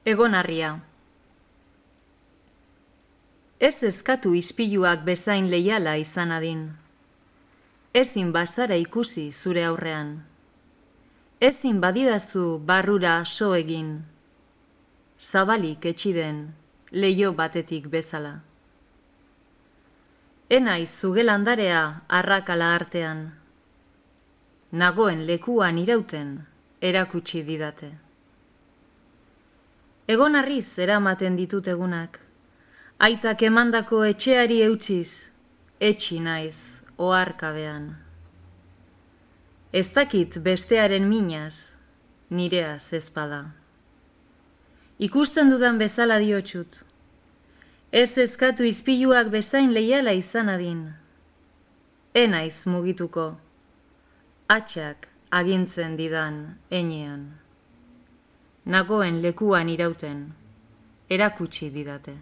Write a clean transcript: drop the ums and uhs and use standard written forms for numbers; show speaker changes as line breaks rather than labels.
Egonarria. Ez eskatu ispiluak bezain leiala izan adin. Ezin bazara ikusi zure aurrean. Ezin badidazu barrura so egin. Zabalik etxiden, leiho batetik bezala. Enaiz zugelandarea arrakala artean. Nagoen lekuan irauten erakutsi didate. Egonarriz eramaten ditut egunak, aitak emandako etxeari eutziz, etxi naiz oharkabean. Ez dakit bestearen minaz, nireaz ezpada. Ikusten dudan bezala diotsut, ez eskatu ispiluak bezain leiala izan adin. Enaiz mugituko, atxak agintzen didan enean. Nagoen lekuan irauten erakutsi didate.